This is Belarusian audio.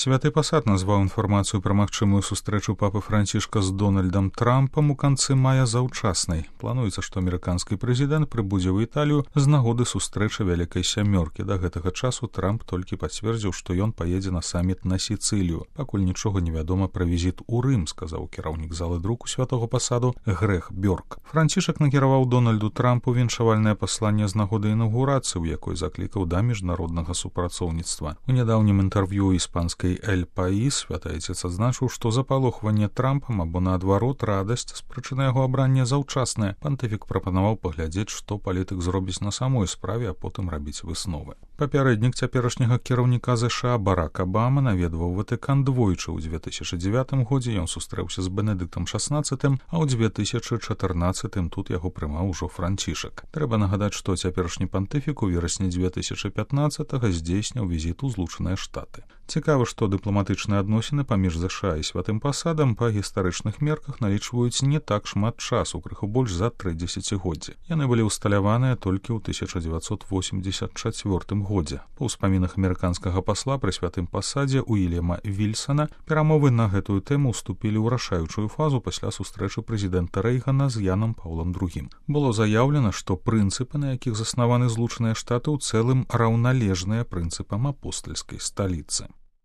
Святы пасад назваў інфармацыю пра магчымую сустрэчу папы Францішка з Дональдам Трампам у канцы мая заўчаснай. Плануецца, што амерыканскі прэзідэнт прыбудзе ў Італію з нагоды сустрэчы вялікай сямёркі. Да гэтага часу Трамп толькі пацвердзіў, што ён паедзе на саміт на Сіцылію. Пакуль нічога невядома пра візіт у Рым, сказаў кіраўнік залы друку святого пасаду Грег Бёрк. Францішак накіраваў Дональду Трампу віншавальнае пасланне з нагоды інаўгурацыі, у якой заклікаў да міжнароднага супрацоўніцтва. У нядаўнім інтэрв'ю іспанскай «Эль Паís» святы айцец адзначыў, што запалохванне Трампам або, наадварот, радасць з прычыны яго абрання заўчаснае. Пантыфік прапанаваў паглядзець, што палітык зробіць на самой справе, а потым рабіць высновы. Папярэднік цяперашняга кіраўніка ЗША Барак Абама наведваў Ватыкан двойчы. У 2009 годзе ён сустрэўся з Бенедыктам XVI, а ў 2014 тут яго прымаў ужо Францішак. Трэба нагадаць, што цяперашні пантыфік у верасні 2015 здзейсніў візіт у Злучаныя Штаты. Цікава, што дыпламатычныя адносіны паміж ЗША і святым пасадам па гістарычных мерках налічваюць не так шмат часу, крыху больш за 3 дзесяцігоддзі. Яны былі ўсталяваныя толькі ў 1984 годзе. Па ўспамінах амерыканскага пасла пры святым пасадзе Уільяма Вільсана перамовы на гэтую тэму ўступілі ў рашаючую фазу пасля сустрэчы прэзідэнта Рэйгана з Янам Паўлам II. Было заяўлена, што прынцыпы, на якіх заснаваны Злучаныя Штаты, у цэлым раўналежныя прынцыпам апостальскай сталіцы.